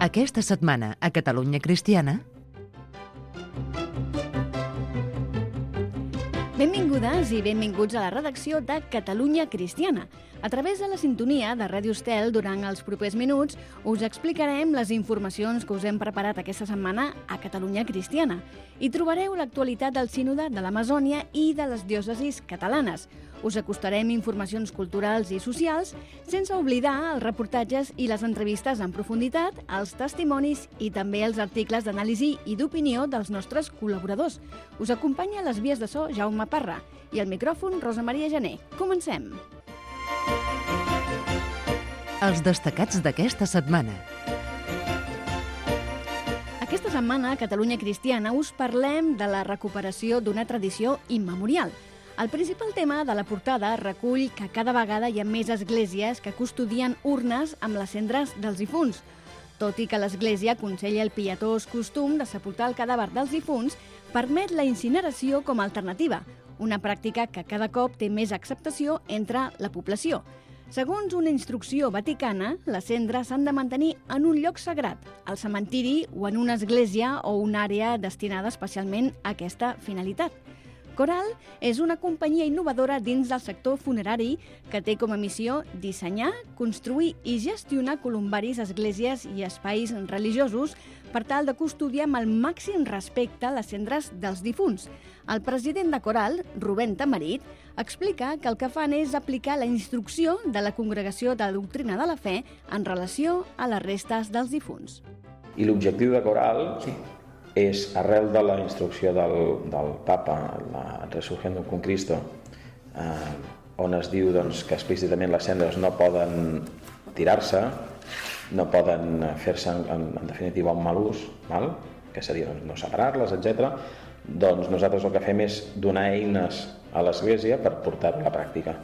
Aquesta setmana a Catalunya Cristiana... Benvingudes i benvinguts a la redacció de Catalunya Cristiana. A través de la sintonia de Ràdio Estel, durant els propers minuts, us explicarem les informacions que us hem preparat aquesta setmana a Catalunya Cristiana. Hi trobareu l'actualitat del Sínode de l'Amazònia i de les diòcesis catalanes. Us acostarem informacions culturals i socials, sense oblidar els reportatges i les entrevistes en profunditat, els testimonis i també els articles d'anàlisi i d'opinió dels nostres col·laboradors. Us acompanya a les vies de so Jaume Parra i al micròfon Rosa Maria Gené. Comencem! Els destacats d'aquesta setmana. Aquesta setmana a Catalunya Cristiana us parlem de la recuperació d'una tradició immemorial. El principal tema de la portada recull que cada vegada hi ha més esglésies que custodien urnes amb les cendres dels difunts. Tot i que l'Església aconsella el pietós costum de sepultar el cadàver dels difunts, permet la incineració com a alternativa, una pràctica que cada cop té més acceptació entre la població. Segons una instrucció vaticana, les cendres s'han de mantenir en un lloc sagrat, al cementiri o en una església o una àrea destinada especialment a aquesta finalitat. Coral és una companyia innovadora dins del sector funerari que té com a missió dissenyar, construir i gestionar columbaris, esglésies i espais religiosos per tal de custodiar amb el màxim respecte les cendres dels difunts. El president de Coral, Rubén Tamarit, explica que el que fan és aplicar la instrucció de la Congregació de Doctrina de la Fe en relació a les restes dels difunts. I l'objectiu de Coral és, arrel de la instrucció del Papa, la Resurrección con Cristo, on es diu que explícitament les cendres no poden tirar-se, no poden fer-se, en definitiva, un mal ús, que seria no separar-les, etc. Doncs nosaltres el que fem és donar eines a l'Església per portar-ho a la pràctica.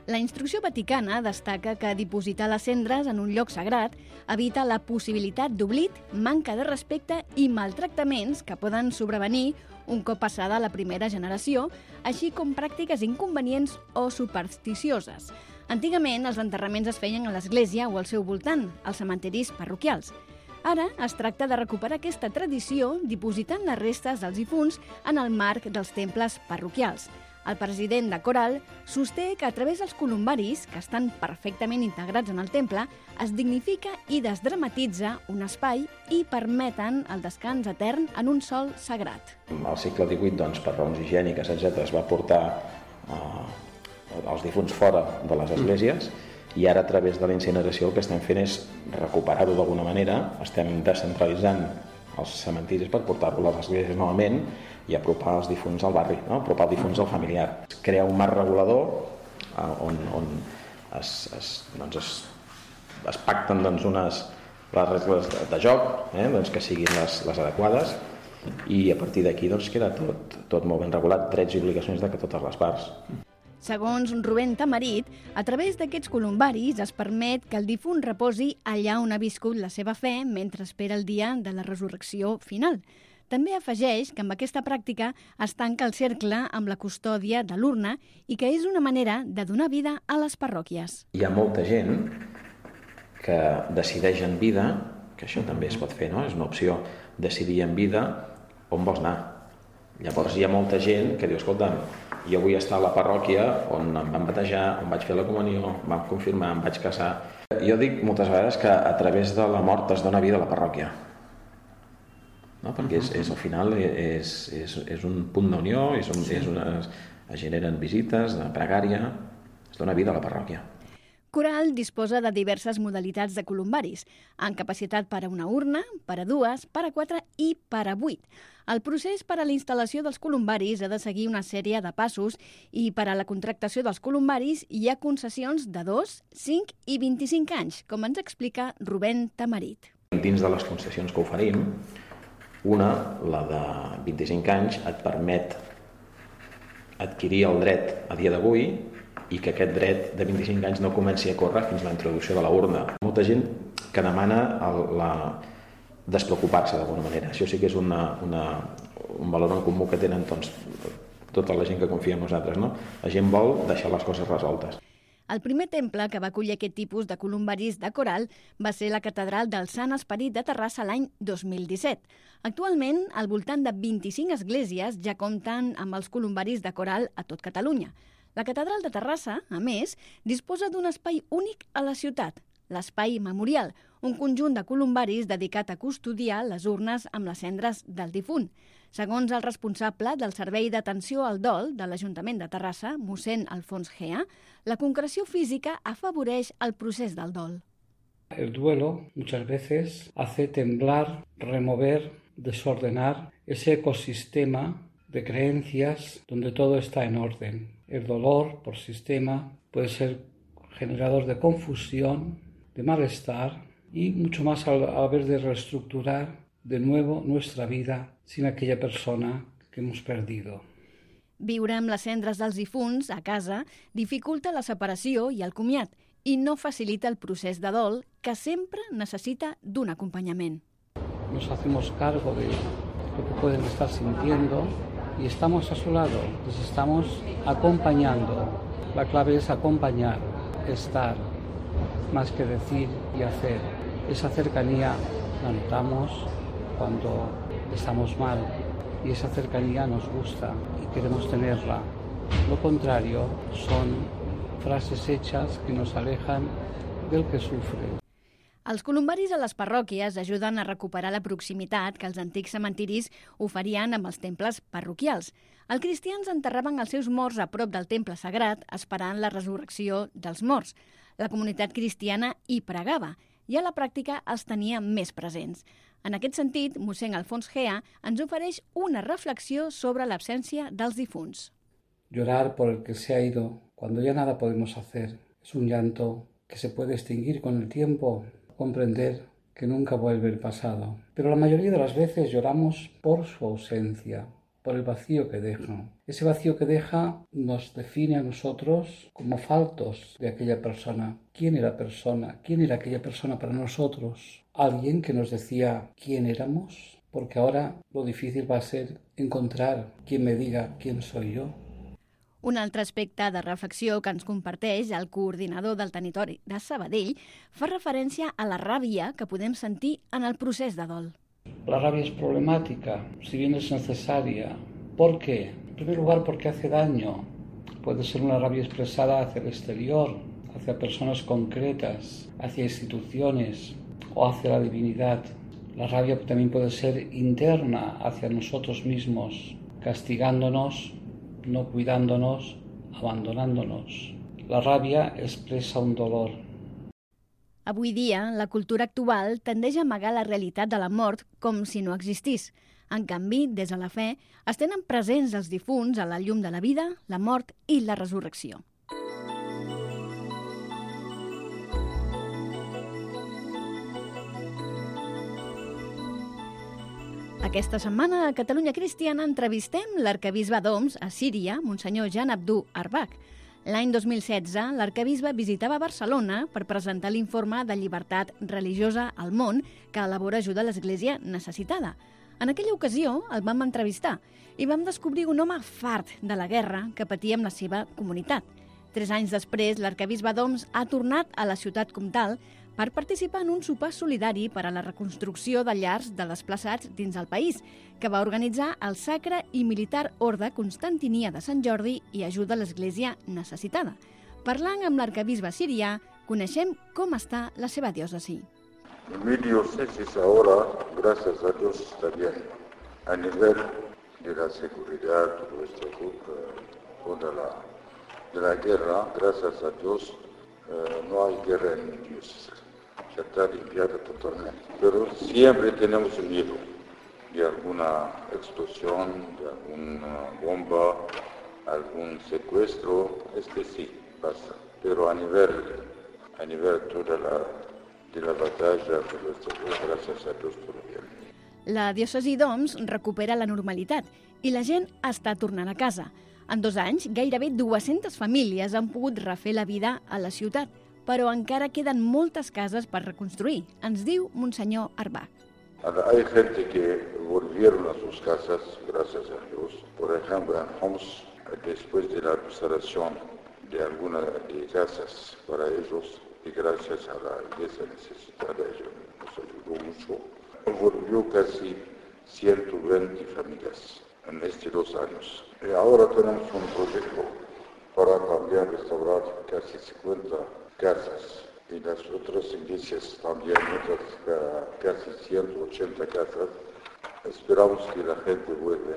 La instrucció vaticana destaca que dipositar les cendres en un lloc sagrat evita la possibilitat d'oblit, manca de respecte i maltractaments que poden sobrevenir un cop passada la primera generació, així com pràctiques inconvenients o supersticioses. Antigament, els enterraments es feien a l'església o al seu voltant, als cementiris parroquials. Ara es tracta de recuperar aquesta tradició dipositant les restes dels difunts en el marc dels temples parroquials. El president de Coral sosté que a través dels columbaris, que estan perfectament integrats en el temple, es dignifica i desdramatitza un espai i permeten el descans etern en un sòl sagrat. Al segle XVIII, per raons higièniques, etc., es va portar els difunts fora de les esglésies i ara, a través de la incineració, el que estem fent és recuperar-ho d'alguna manera. Estem descentralitzant els cementiris per portar-lo a les esglésies novament i apropar els difunts al barri, apropar els difunts al familiar. Crear un marc regulador on es pacten les regles de joc, que siguin les adequades, i a partir d'aquí queda tot molt ben regulat, drets i obligacions de totes les parts. Segons Rubén Tamarit, a través d'aquests columbaris es permet que el difunt reposi allà on ha viscut la seva fe mentre espera el dia de la resurrecció final. També afegeix que amb aquesta pràctica es tanca el cercle amb la custòdia de l'urna i que és una manera de donar vida a les parròquies. Hi ha molta gent que decideix en vida, que això també es pot fer, és una opció, decidir en vida on vols anar. Llavors hi ha molta gent que diu, escolta, jo vull estar a la parròquia on em van batejar, on vaig fer la comunió, em van confirmar, em vaig casar. Jo dic moltes vegades que a través de la mort es dona vida a la parròquia. Perquè al final és un punt d'unió, es generen visites, de pregària, es dona vida a la parròquia. Coral disposa de diverses modalitats de columbaris, amb capacitat per a una urna, per a dues, per a 4 i per a 8. El procés per a la instal·lació dels columbaris ha de seguir una sèrie de passos i per a la contractació dels columbaris hi ha concessions de 2, 5 i 25 anys, com ens explica Rubén Tamarit. Dins de les concessions que oferim, una, la de 25 anys, et permet adquirir el dret a dia d'avui i que aquest dret de 25 anys no comenci a córrer fins a la introducció de la urna. Molta gent que demana despreocupar-se d'alguna manera. Això sí que és un valor en comú que tenen tota la gent que confia en nosaltres. La gent vol deixar les coses resoltes. El primer temple que va acollir aquest tipus de columbaris de coral va ser la Catedral del Sant Esperit de Terrassa l'any 2017. Actualment, al voltant de 25 esglésies ja compten amb els columbaris de coral a tot Catalunya. La Catedral de Terrassa, a més, disposa d'un espai únic a la ciutat, l'Espai Memorial, un conjunt de columbaris dedicat a custodiar les urnes amb les cendres del difunt. Segons el responsable del Servei d'Atenció al Dol de l'Ajuntament de Terrassa, mossèn Alfons Gea, la concreció física afavoreix el procés del dol. El duelo muchas veces hace temblar, remover, desordenar ese ecosistema de creencias donde todo está en orden. El dolor, por sistema, puede ser generador de confusión, de malestar y mucho más al haber de reestructurar de nuevo nuestra vida sin aquella persona que hemos perdido. Viure amb les cendres dels difunts a casa dificulta la separació i el comiat i no facilita el procés de dol que sempre necessita d'un acompanyament. Nos hacemos cargo de lo que pueden estar sintiendo y estamos a su lado, les estamos acompañando. La clave es acompañar, estar, más que decir y hacer. Esa cercanía la notamos cuando estamos mal y esa cercanía nos gusta y queremos tenerla. Lo contrario son frases hechas que nos alejan del que sufre. Els columbaris a les parròquies ajuden a recuperar la proximitat que els antics cementiris oferien amb els temples parroquials. Els cristians enterraven els seus morts a prop del temple sagrat esperant la resurrecció dels morts. La comunitat cristiana hi pregava i a la pràctica els tenia més presents. En aquest sentit, mossèn Alfons Gea ens ofereix una reflexió sobre l'absència dels difunts. Llorar por el que se ha ido cuando ya nada podemos hacer es un llanto que se puede extinguir con el tiempo, comprender que nunca vuelve el pasado. Pero la mayoría de las veces lloramos por su ausencia, por el vacío que deja. Ese vacío que deja nos define a nosotros como faltos de aquella persona. ¿Quién era persona? ¿Quién era aquella persona para nosotros? ¿Alguien que nos decía quién éramos? Porque ahora lo difícil va a ser encontrar quien me diga quién soy yo. Un altre aspecte de reflexió que ens comparteix el coordinador del territori de Sabadell fa referència a la ràbia que podem sentir en el procés de dol. La rabia es problemática, si bien es necesaria. ¿Por qué? En primer lugar, porque hace daño. Puede ser una rabia expresada hacia el exterior, hacia personas concretas, hacia instituciones o hacia la divinidad. La rabia también puede ser interna hacia nosotros mismos, castigándonos, no cuidándonos, abandonándonos. La rabia expresa un dolor. Avui dia, la cultura actual tendeix a amagar la realitat de la mort com si no existís. En canvi, des de la fe, es tenen presents els difunts a la llum de la vida, la mort i la resurrecció. Aquesta setmana a Catalunya Cristiana entrevistem l'arquebisbe d'Oms a Síria, Monsenyor Jan Abdou Arbach. L'any 2016, l'arquebisbe visitava Barcelona per presentar l'informe de llibertat religiosa al món que elabora ajuda a l'Església necessitada. En aquella ocasió el vam entrevistar i vam descobrir un home fart de la guerra que patia amb la seva comunitat. 3 anys després, l'arquebisbe d'Oms ha tornat a la ciutat comtal per participar en un sopar solidari per a la reconstrucció de llars de desplaçats dins el país, que va organitzar el Sacre i Militar Orde Constantinia de Sant Jordi i ajuda a l'Església necessitada. Parlant amb l'arquebisbe sirià, coneixem com està la seva diòcesi. Mi diócesis ahora, gracias a Dios, está bien. A nivel de la seguridad, nuestro grupo de la guerra, gracias a Dios, no hay guerra en mi diócesis. Ya está limpiada totalmente. Pero siempre tenemos miedo de alguna explosión, de alguna bomba, algún secuestro. Sí pasa. Pero a nivel toda de la batalla, gracias a Dios, todo bien. La diòcesi d'Oms recupera la normalitat i la gent està tornant a casa. En 2 anys, gairebé 200 famílies han pogut refer la vida a la ciutat, però encara queden moltes cases per reconstruir, ens diu Monsenyor Arbach. Hay gente que volvieron a sus casas, gracias a Dios. Por ejemplo, en Homs, después de la restauración de algunas de casas para ellos y gracias a la iglesia necesitada nos ayudó mucho. Volvió casi 120 familias en estos 2 años. Y ahora tenemos un proyecto para cambiar, restaurar casi 50 casas y las otras iglesias también, otras casi 180 casas. Esperamos que la gente vuelva.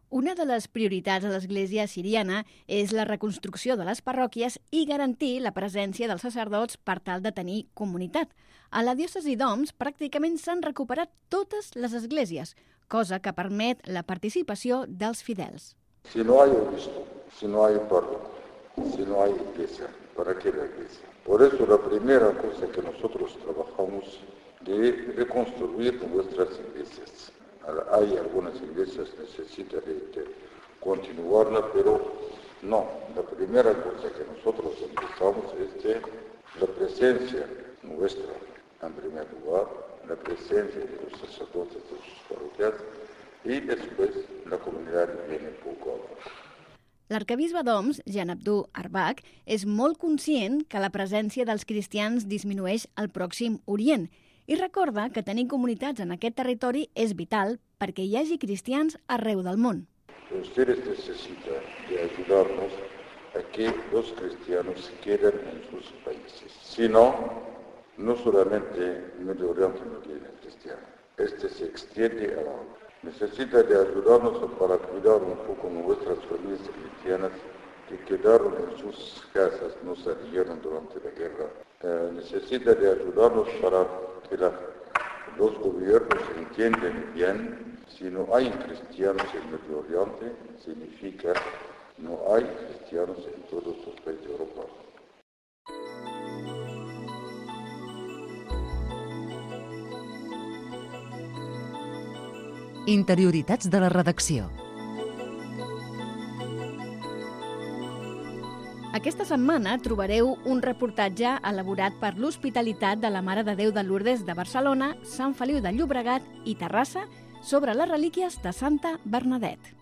Una de les prioritats de l'Església siriana és la reconstrucció de les parròquies i garantir la presència dels sacerdots per tal de tenir comunitat. A la diòcesi d'Oms pràcticament s'han recuperat totes les esglésies, cosa que permet la participació dels fidels. Si no hay obispo, si no hay párroco, si no hay iglesia, ¿para qué la iglesia? Por eso la primera cosa que nosotros trabajamos de reconstruir nuestras iglesias. Hay algunas iglesias que necesitan de continuarla, pero no. La primera cosa que nosotros empezamos es de la presencia nuestra, en primer lugar, la presencia de los sacerdotes de sus parroquias y después la comunidad viene poco a poco. L'arquebisbe d'Oms, Jean Abdou Arbach, és molt conscient que la presència dels cristians disminueix al Pròxim Orient i recorda que tenir comunitats en aquest territori és vital perquè hi hagi cristians arreu del món. Ustedes necesitan de ayudarnos a que los cristianos queden en sus países. Si no, no solamente Medio Oriente no tiene cristiano, se extiende a la ONU. Necesita de ayudarnos para cuidar un poco nuestras familias cristianas que quedaron en sus casas, no salieron durante la guerra. Necesita de ayudarnos para que los gobiernos entiendan bien, si no hay cristianos en Medio Oriente, significa no hay cristianos en todos los países de Europa. Interioritats de la redacció. Aquesta setmana trobareu un reportatge elaborat per l'Hospitalitat de la Mare de Déu de Lourdes de Barcelona, Sant Feliu de Llobregat i Terrassa sobre les relíquies de Santa Bernadette.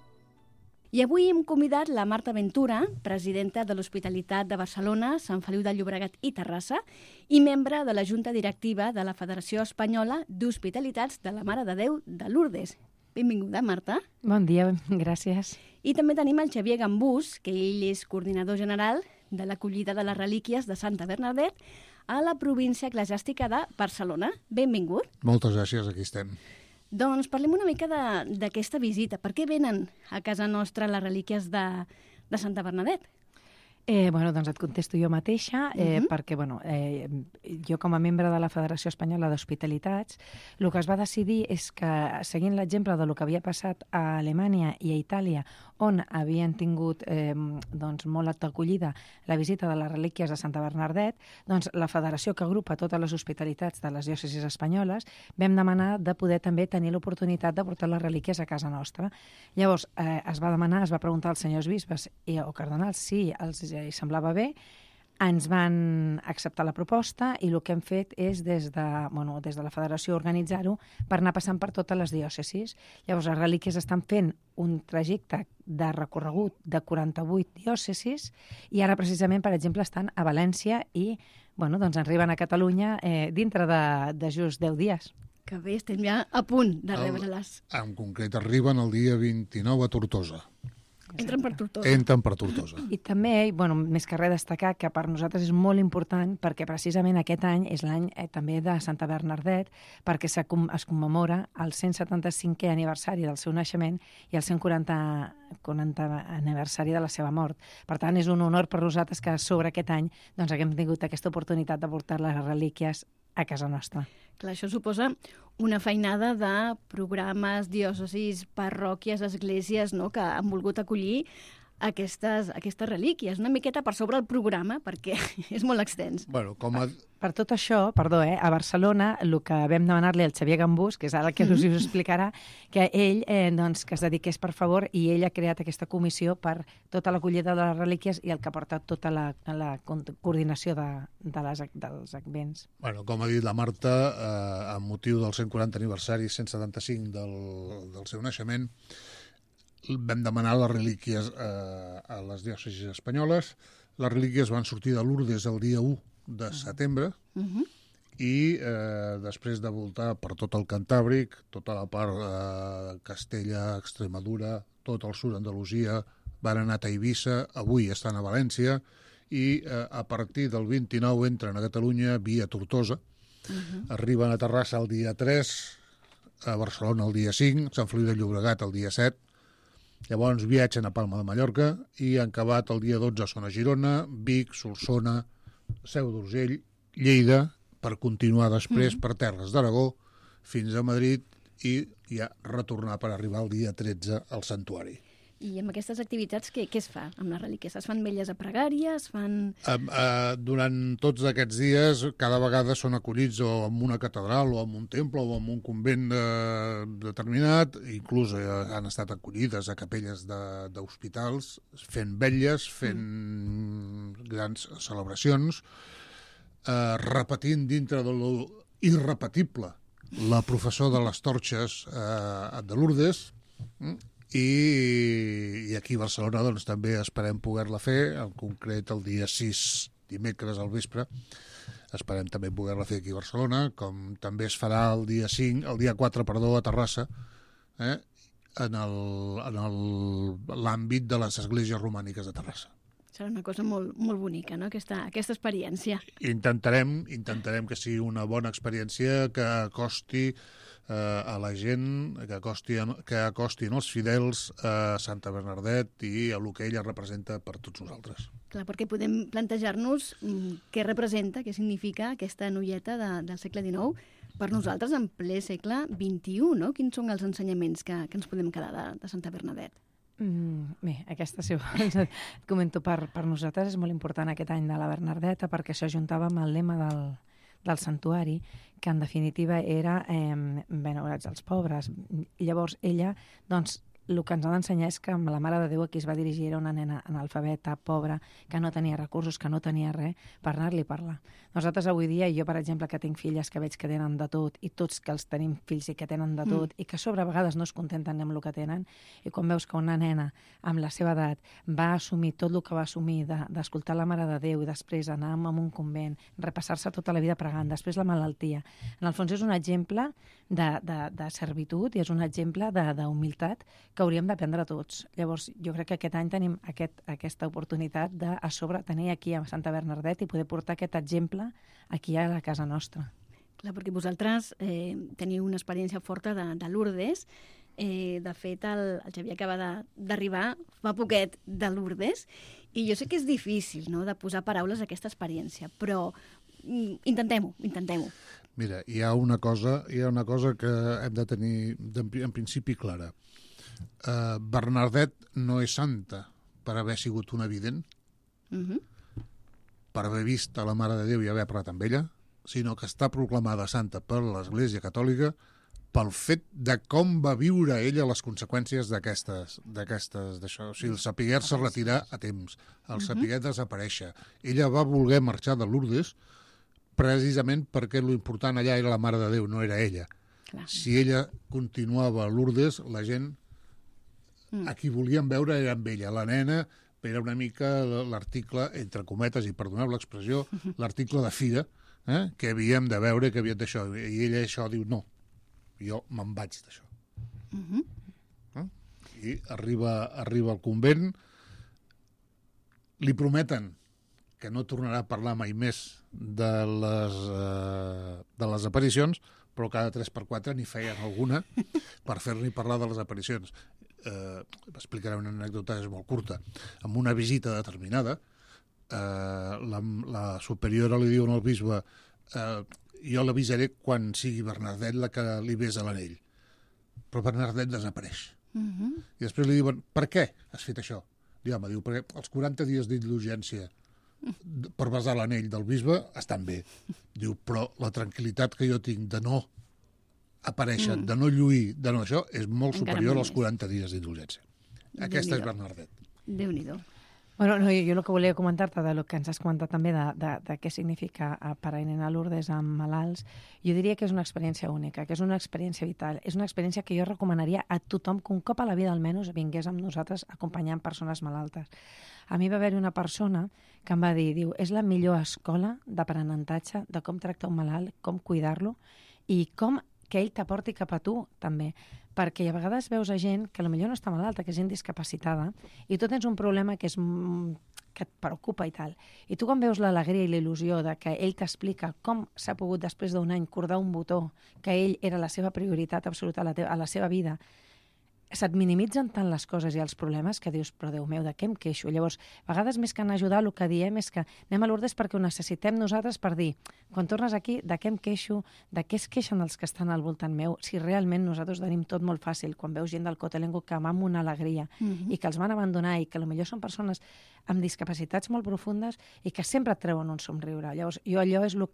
I avui hem convidat la Marta Ventura, presidenta de l'Hospitalitat de Barcelona, Sant Feliu de Llobregat i Terrassa i membre de la Junta Directiva de la Federació Espanyola d'Hospitalitats de la Mare de Déu de Lourdes. Benvinguda, Marta. Bon dia, gràcies. I també tenim el Xavier Gambús, que ell és coordinador general de l'acollida de les relíquies de Santa Bernadette a la província eclesiàstica de Barcelona. Benvingut. Moltes gràcies, aquí estem. Doncs parlem una mica d'aquesta visita. Per què venen a casa nostra les relíquies de Santa Bernadette? Doncs et contesto jo mateixa, perquè jo com a membre de la Federació Espanyola d'Hospitalitats, el que es va decidir és que, seguint l'exemple del que havia passat a Alemanya i a Itàlia, on havien tingut molt acollida la visita de les relíquies de Santa Bernadette, doncs la federació que agrupa totes les hospitalitats de les diòcesis espanyoles vam demanar de poder també tenir l'oportunitat de portar les relíquies a casa nostra. Llavors es va preguntar als senyors bisbes o cardenals si els semblava bé, ens van acceptar la proposta i el que hem fet és des de la federació organitzar-ho per anar passant per totes les diòcesis. Llavors les relíquies estan fent un trajecte de recorregut de 48 diòcesis i ara precisament, per exemple, estan a València i arriben a Catalunya dintre de just 10 dies. Que bé, estem ja a punt de rebre-les. En concret arriben el dia 29 a Tortosa. Entren per Tortosa. Entren per Tortosa. I també, més que res, destacar que per nosaltres és molt important perquè precisament aquest any és l'any també de Santa Bernadette, perquè es commemora el 175è aniversari del seu naixement i el 140 aniversari de la seva mort. Per tant, és un honor per nosaltres que sobre aquest any haguem tingut aquesta oportunitat de portar les relíquies a casa nostra. Clar, això suposa una feinada de programes, diòcesis, parròquies, esglésies, que han volgut acollir aquestes relíquies. Una miqueta per sobre el programa, perquè és molt extens. Per tot això, a Barcelona, el que vam demanar-li al Xavier Gambús, que és ara que us ho explicarà, que ell que es dediqués, per favor, i ell ha creat aquesta comissió per tota l'acollida de les relíquies i el que ha portat tota la coordinació dels advents. Com ha dit la Marta, amb motiu del 140 aniversari 175 del seu naixement, vam demanar les relíquies a les diòcesis espanyoles, Les relíquies van sortir de Lourdes el dia 1 de setembre i després de voltar per tot el Cantàbric, tota la part de Castella, Extremadura, tot el sud d'Andalusia, van anar a Eivissa, avui estan a València, i a partir del 29 entren a Catalunya via Tortosa, arriben a Terrassa el dia 3, a Barcelona el dia 5, Sant Feliu de Llobregat el dia 7, llavors viatgen a Palma de Mallorca i han acabat el dia 12 són a Girona, Vic, Solsona, Seu d'Urgell, Lleida, per continuar després per terres d'Aragó fins a Madrid i ja retornar per arribar el dia 13 al santuari. I amb aquestes activitats què es fa amb les relíquies? Es fan vetlles a pregària? Es fan... Durant tots aquests dies, cada vegada són acollits o en una catedral o en un temple o en un convent determinat, inclús han estat acollides a capelles d'hospitals, fent vetlles, fent grans celebracions, repetint dintre de lo irrepetible la professó de les torxes de Lourdes, i aquí a Barcelona doncs, també esperem poder-la fer, en concret el dia 6, dimecres al vespre, esperem també poder-la fer aquí a Barcelona, com també es farà el dia 4, a Terrassa, en l'àmbit de les esglésies romàniques de Terrassa. Serà una cosa molt, molt bonica, no?, aquesta experiència. Intentarem que sigui una bona experiència, que acosti a la gent, que acostin els fidels a Santa Bernardet i a el que ella representa per tots nosaltres. Clar, perquè podem plantejar-nos què representa, què significa aquesta noieta del segle XIX per nosaltres en ple segle XXI, no? Quins són els ensenyaments que ens podem quedar de Santa Bernadette? Bé, aquesta, si vols, et comento, per nosaltres és molt important aquest any de la Bernardeta perquè s'ajuntava amb el lema del santuari, que en definitiva era benevolats als pobres. Llavors ella, doncs, el que ens ha d'ensenyar és que la Mare de Déu a qui es va dirigir era una nena analfabeta, pobra, que no tenia recursos, que no tenia res per anar-li a parlar. Nosaltres avui dia, jo per exemple que tinc filles que veig que tenen de tot i tots que els tenim fills i que tenen de tot i que a sobre a vegades no es contenten amb el que tenen, i quan veus que una nena amb la seva edat va assumir tot el que va assumir d'escoltar la Mare de Déu i després anar a un convent, repassar-se tota la vida pregant, després la malaltia, en el fons és un exemple de servitud i és un exemple d'humilitat que hauríem d'aprendre tots. Llavors, jo crec que aquest any tenim aquesta oportunitat de, a sobre, tenir aquí a Santa Bernadette i poder portar aquest exemple aquí a la casa nostra. Clar, perquè vosaltres teniu una experiència forta de Lourdes. De fet, el Xavier acaba d'arribar fa poquet de Lourdes i jo sé que és difícil, no?, de posar paraules a aquesta experiència, però intentem-ho. Mira, hi ha una cosa que hem de tenir en principi clara. Bernadette no és santa per haver sigut una vident, per haver vist a la Mare de Déu i haver parlat amb ella, sinó que està proclamada santa per l'Església Catòlica pel fet de com va viure ella les conseqüències d'això. O sigui, el saber-se retirar a temps, el saber desaparèixer. Ella va voler marxar de Lourdes precisament perquè l'important allà era la Mare de Déu, no era ella. Clar. Si ella continuava a Lourdes, la gent a qui volien veure era amb ella. La nena era una mica l'article, entre cometes, i perdoneu l'expressió, l'article de fira, que havíem de veure, que havíem d'això. I ella això diu, no, jo me'n vaig d'això. I arriba al convent, li prometen que no tornarà a parlar mai més de les aparicions, però cada 3x4 n'hi feien alguna per fer-li parlar de les aparicions. Explicaré una anècdota, és molt curta. En una visita determinada, la superiora li diu al bisbe jo l'avisaré quan sigui Bernadette la que li besa l'anell. Però Bernadette desapareix. I després li diuen, per què has fet això? Diu, perquè els 40 dies d'indulgència per besar l'anell del bisbe estan bé. Diu, però la tranquil·litat que jo tinc de no aparèixer, de no lluir, de no això, és molt superior als 40 dies d'indulgència. Aquesta és Bernadette. Déu-n'hi-do. Bueno, no, jo el que volia comentar-te del que ens has comentat també de què significa parar i nena a Lourdes amb malalts, jo diria que és una experiència única, que és una experiència vital, és una experiència que jo recomanaria a tothom que un cop a la vida almenys vingués amb nosaltres acompanyant persones malaltes. A mi va haver-hi una persona que em va dir, diu, és la millor escola d'aprenentatge de com tractar un malalt, com cuidar-lo i com que ell t'aporti cap a tu, també. Perquè a vegades veus a gent que potser no està malalta, que és gent discapacitada, i tu tens un problema que et preocupa i tal. I tu quan veus l'alegria i la il·lusió de que ell t'explica com s'ha pogut després d'un any cordar un botó, que ell era la seva prioritat absoluta a la seva vida, se't minimitzen tant les coses i els problemes que dius, però Déu meu, de què em queixo? Llavors, a vegades més que en ajudar, el que diem és que anem a Lourdes perquè ho necessitem nosaltres per dir, quan tornes aquí, de què em queixo, de què es queixen els que estan al voltant meu, si realment nosaltres tenim tot molt fàcil, quan veus gent del Cotelengo que va amb una alegria i que els van abandonar i que potser són persones amb discapacitats molt profundes i que sempre et treuen un somriure. Llavors, jo allò és el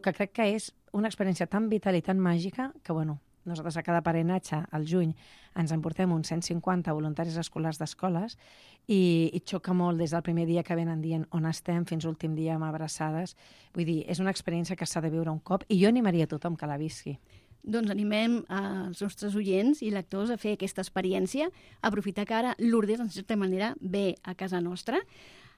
que crec que és una experiència tan vital i tan màgica que, bueno, nosaltres a cada parenatge, al juny, ens emportem uns 150 voluntaris escolars d'escoles i xoca molt des del primer dia que venen dient on estem fins l'últim dia amb abraçades. Vull dir, és una experiència que s'ha de viure un cop i jo animaria a tothom que la visqui. Doncs animem els nostres oients i lectors a fer aquesta experiència, a aprofitar que ara Lourdes, en certa manera, ve a casa nostra.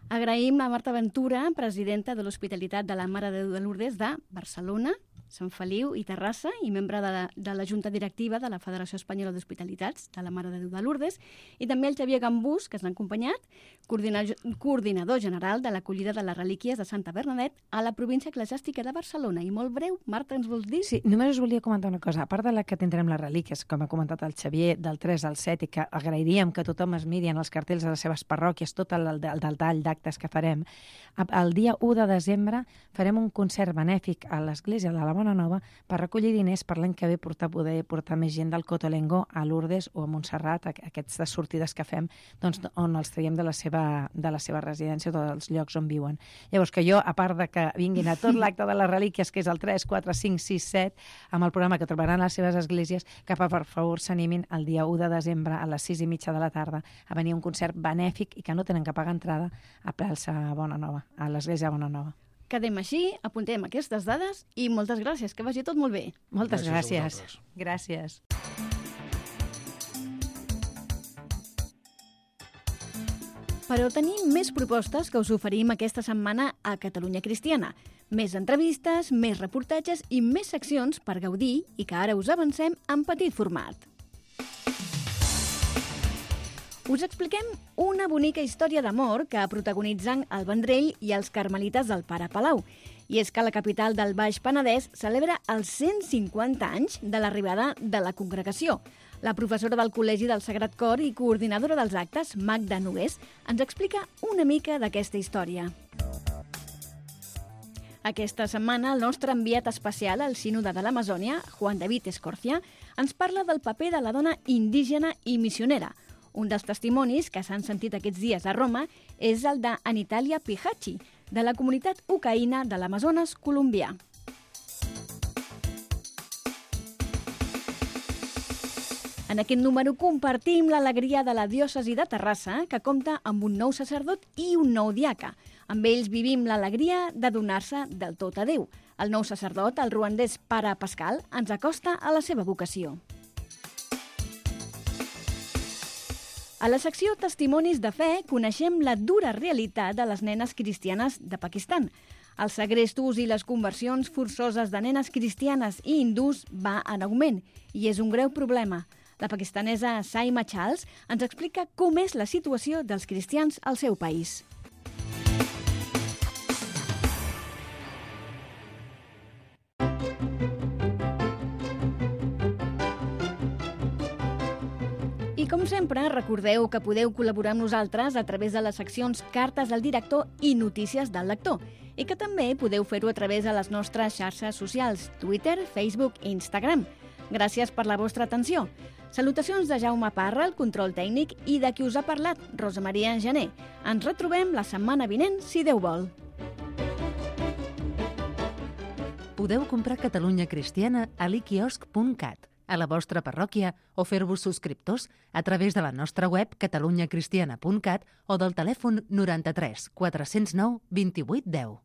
Agraïm a Marta Ventura, presidenta de l'Hospitalitat de la Mare de Déu de Lourdes de Barcelona, Sant Feliu i Terrassa i membre de la Junta Directiva de la Federació Espanyola d'Hospitalitats de la Mare de Déu de Lourdes, i també el Xavier Gambús, que ens ha acompanyat, coordinador general de l'acollida de les relíquies de Santa Bernadette a la província eclesiàstica de Barcelona. I molt breu, Marta, ens vols dir? Sí, només us volia comentar una cosa. A part de la que tindrem les relíquies, com ha comentat el Xavier, del 3 al 7, i que agrairíem que tothom es miri en els cartells de les seves parròquies, tot el tall d'actes que farem, el dia 1 de desembre farem un concert benèfic a l'església de la Bona Nova per recollir diners per l'any que ve poder portar més gent del Cotolengo a Lourdes o a Montserrat, aquestes sortides que fem, doncs, on els traiem de la seva residència o dels llocs on viuen. Llavors, que jo, a part de que vinguin a tot l'acte de les relíquies, que és el 3, 4, 5, 6, 7, amb el programa que trobaran a les seves esglésies, que per favor s'animin el dia 1 de desembre a les 6:30 de la tarda a venir a un concert benèfic i que no tenen que pagar entrada a plaça Bona Nova, a l'església Bona Nova. Quedem així, apuntem aquestes dades i moltes gràcies, que vagi tot molt bé. Moltes gràcies. Gràcies. Però tenim més propostes que us oferim aquesta setmana a Catalunya Cristiana. Més entrevistes, més reportatges i més seccions per gaudir i que ara us avancem en petit format. Us expliquem una bonica història d'amor que protagonitzen el Vendrell i els carmelites del Pare Palau. I és que la capital del Baix Penedès celebra els 150 anys de l'arribada de la congregació. La professora del Col·legi del Sagrat Cor i coordinadora dels actes, Magda Nogués, ens explica una mica d'aquesta història. Aquesta setmana, el nostre enviat especial al Sínode de l'Amazònia, Juan David Escorcia, ens parla del paper de la dona indígena i missionera. Un dels testimonis que s'han sentit aquests dies a Roma és el d'Anitalia Pijachi, de la comunitat ucaïna de l'Amazones colombià. En aquest número compartim l'alegria de la diòcesi de Terrassa, que compta amb un nou sacerdot i un nou diaca. Amb ells vivim l'alegria de donar-se del tot a Déu. El nou sacerdot, el ruandès Pare Pascal, ens acosta a la seva vocació. A la secció Testimonis de Fe coneixem la dura realitat de les nenes cristianes de Pakistan. Els segrestos i les conversions forçoses de nenes cristianes i hindús va en augment i és un greu problema. La pakistanesa Saima Charles ens explica com és la situació dels cristians al seu país. I com sempre, recordeu que podeu col·laborar amb nosaltres a través de les seccions Cartes al director i Notícies del lector, i que també podeu fer-ho a través de les nostres xarxes socials, Twitter, Facebook i Instagram. Gràcies per la vostra atenció. Salutacions de Jaume Parra, el control tècnic, i de qui us ha parlat, Rosa Maria Gené. Ens retrobem la setmana vinent, si Déu vol. Podeu comprar Catalunya Cristiana a l'iquiosc.cat. a la vostra parròquia o fer-vos subscriptors a través de la nostra web catalunyacristiana.cat o del telèfon 93 409 28 10.